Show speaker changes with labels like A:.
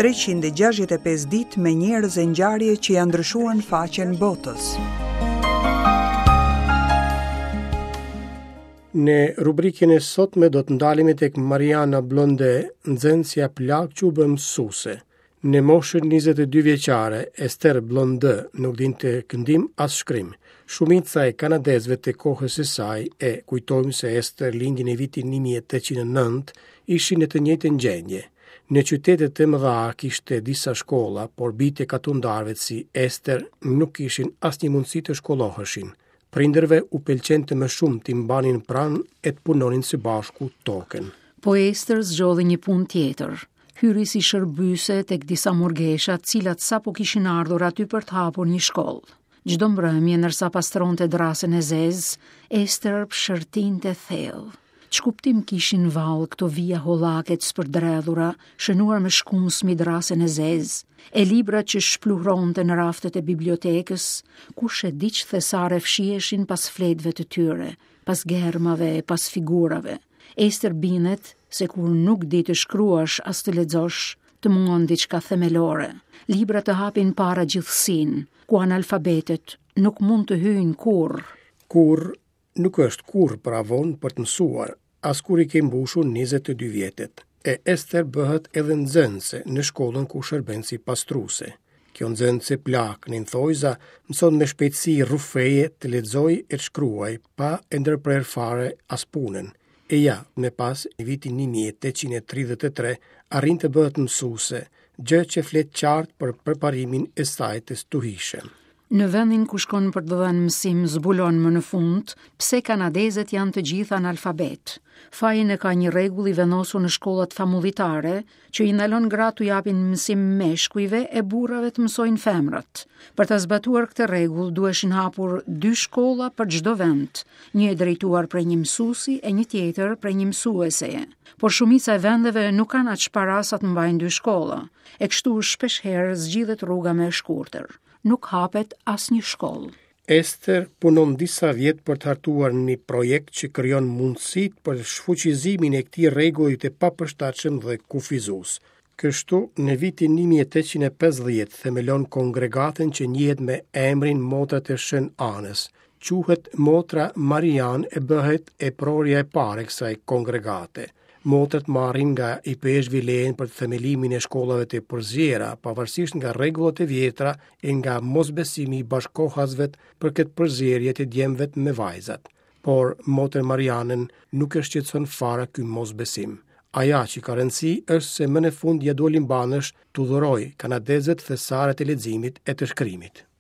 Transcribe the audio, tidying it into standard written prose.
A: 365 ditë me njerëz e ngjarje që ia ndryshuan faqen botës.
B: Në rubrikën e sotme do të ndalemi tek Mariana Blonde, nxënësja plakë që u bë mësuese. Në moshën 22 vjeçare, Ester Blonde nuk dinte këndim as shkrim. Shumica e kanadezëve të kohës së saj, e kujtojmë se Ester lindi në vitin 1809, ishin në të njëjtën gjendje. Në qytete të mëdha kishte disa shkolla, por bijtë e katundarëve si Ester nuk kishin asnjë mundësi të shkolloheshin. Prindërve u pëlqente më shumë t'i mbanin pranë e të punonin së bashku
C: tokën. Po Ester zgjodhi një punë tjetër. Hyri si shërbyese tek disa murgesha, të cilat sapo kishin ardhur aty për të hapur një shkollë. Çdo mbrëmje ndërsa pastronte drasën e zezë, Ester psherëtinte thellë. Ç'kuptim kishin vallë këto vija hollake të spërdredhura, shënuar me shkumës mbi drasën e zezë, e librat që shpluhronte në raftet e bibliotekës, kush e di ç'thesare fshiheshin pas fletëve të tyre, pas germave e pas figurave. Ester bindet se kur nuk di të shkruash as të lexosh, të mungon diçka themelore. Librat të hapin para gjithësinë, ku analfabetët nuk mund të hyjnë
B: kurrë. Kurrë nuk është kurrë pra vonë për të mësuar, as kur i ke mbushur 22 vjetët. E Ester bëhet edhe nxënëse në shkollën ku shërben si pastruese. Kjo nxënëse plakë në thonjëza mëson me shpejtësi rrufeje të lexojë e të shkruajë pa e ndërprerë fare as punën. E ja, më pas, në vitin 1833, arrin të bëhet mësuese, gjë që flet qartë për përparimin e saj të stuhishëm.
C: Në vendin ku shkon për të dhënë mësim zbulon më në fund pse kanadezët janë të gjithë analfabetë. Fajin e ka një rregull i vendosur në shkollat famullitare, që i ndalon gratë t'u japin mësim meshkujve e burrave të mësojnë femrat. Për ta zbatuar këtë rregull duheshin hapur dy shkolla për çdo vend, një e drejtuar prej një mësuesi e një tjetër prej një mësueseje. Por shumica e vendeve nuk kanë aq para sa të mbajnë dy shkolla, e kështu shpeshherë zgjidhet rruga më e shkurtër. Nuk hapet asnjë shkollë.
B: Ester punon disa vjet për të hartuar një projekt që krijon mundësitë për shfuqizimin e këtij rregulli të papërshtatshëm dhe kufizues. Kështu, në vitin 1850 themelon kongregatën që njihet me emrin Motrat e Shën Anës. Quhet Motra Marianë e bëhet eprorja e parë e kësaj kongregate. Motrat marrin nga ipeshkvi lejen për themelimin e shkollave të përziera, pavarësisht nga rregullat e vjetra e nga mosbesimi i bashkëkohasve për këtë përzierje të djemve me vajzat. Por motër Marianën nuk e shqetëson fare ky mosbesim. Ajo që ka rëndësi është se më në fund ia doli mbanësh t'u dhurojë kanadezëve thesaret e leximit e të shkrimit.